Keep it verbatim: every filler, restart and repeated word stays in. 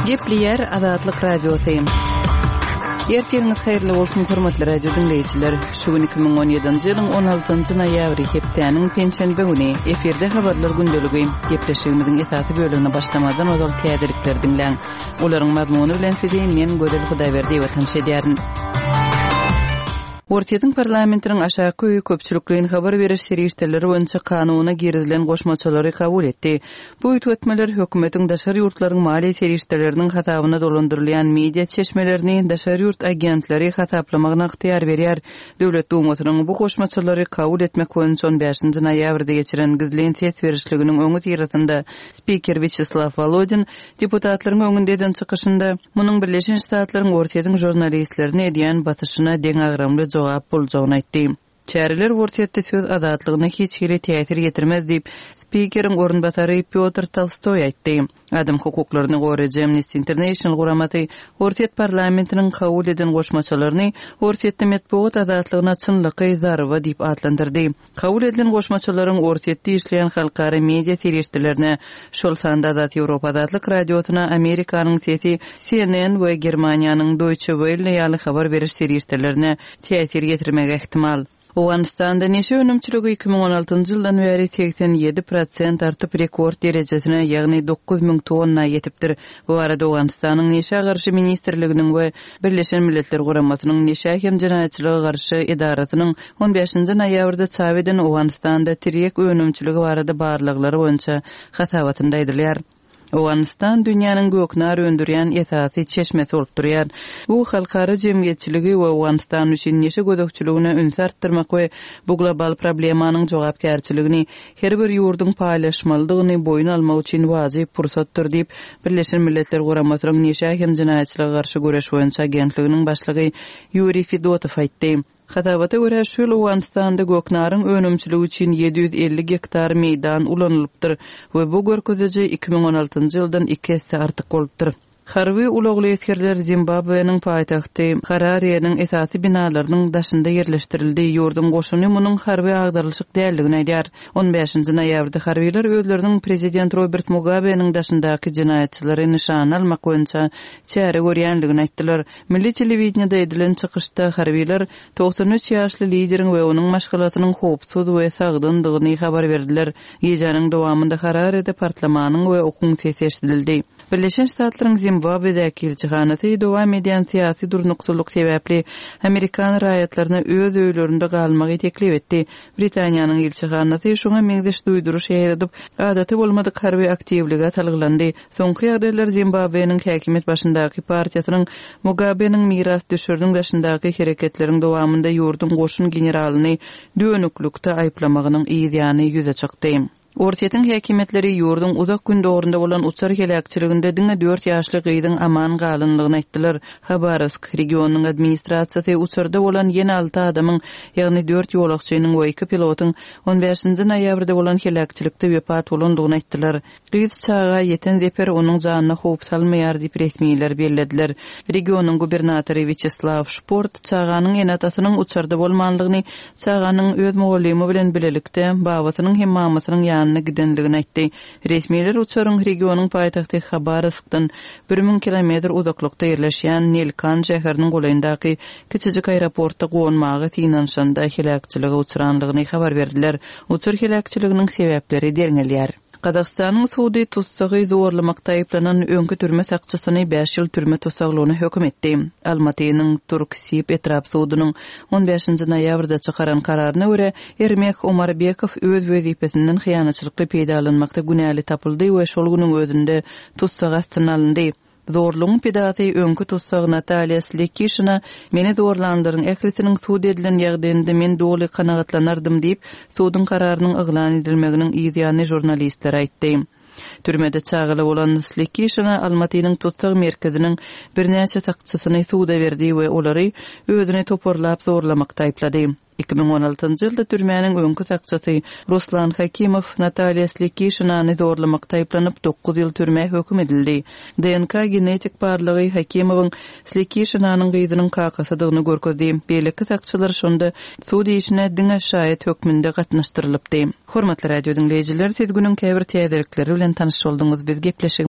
Gepleýär Azatlyk Radiosy. Ertiriňiz haýyrly bolsun, hormatly radio diňleýjiler. Şu gün iki müň on ýedinji ýylyň on altynjy noýabry, hepdäniň penşenbe güni. Efirde habarlar gündeligi. Gepleşigimiziň esasy bölegine başlamazdan ozal täzelikleri diňläň. Olaryň mazmuny bilen sizi men Gözel Hudaýberdiýewa tanyş edýärin. Orsýetiň parlamentiniň aşaky öýi köpçülikleýin habar beriş serişdeleri boýunça kanuna girizilen goşmaçalary kabul etdi. Bu üýtgetmeler hökümetiň daşary ýurtlaryň maliýe serişdeleriniň hasabyna dolandyrylýan media çeşmelerini daşary ýurt agentleri hasaplamagyna ygtyýar berýär. Döwlet Dumasynyň bu goşmaçalary kabul etmek boýunça on bäşinji noýabrda geçiren gizlin ses berişliginiň öňüsyrasynda spiker Wýaçeslaw Wolodin deputatlaryň öňünde eden çykyşynda munuň Birleşen Ştatlaryň Orsýetiň žurnalistlerine edýän basyşyna deňagramly jogap boljagyny aýtdy. Çäreler Orsýetde söz azatlygyna hiç hili täsir ýetirmez diýip, spikeriň orunbasary Pýotr Tolstoý aýtdy. Adam hukuklaryny goraýjy Amnesty International guramasy Orsýet parlamentiniň kabul eden goşmaçalaryny Orsýetde metbugat azatlygyna çynlakaý zarba diýip atlandyrdy. Kabul edilen goşmaçalaryň Orsýetde işleýän halkara media serişdelerine, şol sanda Azat Ýewropa Azatlyk Radiosyna, Amerikanyň Sesi, C N N we Germaniýanyň Deutsche Welle ýaly habar beriş serişdelerine täsir ýetirmegi ähtimal. Owganystanda neşe önümçiligi iki müň on altynjy ýyldan bäri segsen ýedi prosent artyp rekord derejesine, ýagny dokuz müň tonna ýetipdir. Bu arada Owganystanyň Neşä garşy ministrliginiň we Birleşen Milletler Guramasynyň Neşä hem jenaýatçylyga garşy edarasynyň on bäşinji noýabrda çap eden Owganystanda tirýek önümçiligi barada barlaglary boýunça hasabatynda aýdylýar. Owganystan dünýäniň göknar öndürýän esasy çeşmesi bolup durýar. Bu halkara jemgyýetçiligi we Owganystan üçin neşe gözegçiligine ünsi artdyrmak we bu global problemanyň jogapkärçiligini her bir ýurduň paýlaşmalydygyny boýun almak üçin wajyp pursatdyr diýip, Birleşen Milletler Guramasynyň Neşä hem jenaýatçylyga garşy göreş boýunça agentliginiň başlygy Ýuriý Fedotow aýtdy. Hasabata görä, şu ýyl Owganystanda göknaryň önümçiligi üçin ýedi ýüz elli gektar meýdan ulanylypdyr we bu görkeziji iki müň on altynjy ýyldan iki esse artyk bolupdyr. Harby ulagly esgerler Zimbabwe'niň paýtagty Harare'niň esasy binalarynyň daşynda ýerleşdirildi. Ýurduň goşuny munuň harby agdarylyşyk däldigini aýdýar. On bäşinji noýabrda harbylar özleriniň prezident Robert Mugabe'niň daşyndaky jenaýatçylary nyşana almak boýunça çäre görýändigini aýtdylar. Milli telewideniýede edilen çykyşda harbylar togsan üç ýaşly lideriň we onuň maşgalasynyň howpsuz we sagdyndygyny habar berdiler. Gijäniň dowamynda Harare'de partlamanyň we okuň sesi eşidildi. Birleşen Ştatlaryň Zimbabwe'däki ilçihanasy dowam edýän syýasy durnuksyzlyk sebäpli Amerikan raýatlaryna öz öýlerinde galmagy teklip etdi. Britaniýanyň ilçihanasy şoňa meňzeş duýduryş ýaýradyp, adaty bolmadyk harby aktiwlige salgylandy. Soňky ýagdaýlar Zimbabwe'niň häkimiýet başyndaky partiýasynyň Mugabe'niň miras düşüriniň daşyndaky hereketleriň dowamynda ýurduň goşun generalyny dönüklikde aýyplamagynyň ýany ýüze çykdy. Orsýetiň häkimiýetleri ýurduň uzak gün dogrunda bolan uçar heläkçiliginde diňe dört ýaşly gyzyň aman galanlygyny aýtdylar. Habarowsk regionynyň administrasiýasy uçarda bolan ýene alty adamyň, ýagny dört ýolagçynyň we iki pilotyň on bäşinji noýabrda bolan heläkçilikde wepat bolandygyny aýtdylar. Gyz çaga ýeten zeper onuň janyna howp salmaýar diýip resmiler bellediler. Regionyň gubernatory Wýaçeslaw Şport çaganyň ene-atasynyň uçarda bolmanlygyny, çaganyň öz mugallymy bilen bilelikde babasynyň hem mamasynyň ýanyna gidenligini aýtdy. Resmiler uçaryň regionyň paýtagty Habarowskdan bir müň kilometr uzaklykda ýerleşýän Nelkan şäheriniň golaýyndaky kiçijik aeroportda gonmaga synanyşanda heläkçilige uçranlygyny habar berdiler. Uçar heläkçiliginiň sebäpleri derňelýär. Gazagystanyň sudy tutsagy zorlamakda aýyplanan öňki türme sakçysyny bäş ýyl türme tussaglygyna höküm etdi. Almatynyň Turksib etrap sudunyň on bäşinji noýabrda çykaran kararyna görä, Ermek Omarbekow öz wezipesinden hyýanatçylykly peýdalanmakda günäli tapyldy we şol günüň özünde tussag astyna alyndy. Zorlugyň pidasy öňki tussag Natalýa Slekişina meni zorlanlaryň ählisiniň sud edilen ýagdaýynda men doly kanagatlanardym diýip, suduň kararynyň yglan edilmeginiň ýany žurnalistler aýtdy. Türmede çagaly bolan Slekişina Almatynyň tussag merkeziniň birnäçe sakçysyny suda berdi we olary özüne toparlap zorlamakda aýyplady. Iki müň on altynjy ýylda türmäniň öňki sakçysy Ruslan Hakimow Natalýa Slekişinany zorlamakda aýyplanyp dokuz ýyl türmä höküm edildi. D N K genetik barlygy Hakimowyň Slekişinanyň gyzynyň kakasydygyny görkezdi. Beýleki sakçylar şonda sud işine diňe şaýat hökmünde gatnaşdyrylypdy. Hormatly radio diňleýjiler, siz günüň käbir täzelikleri bilen tanyş bolduňyz. Biz gepleşik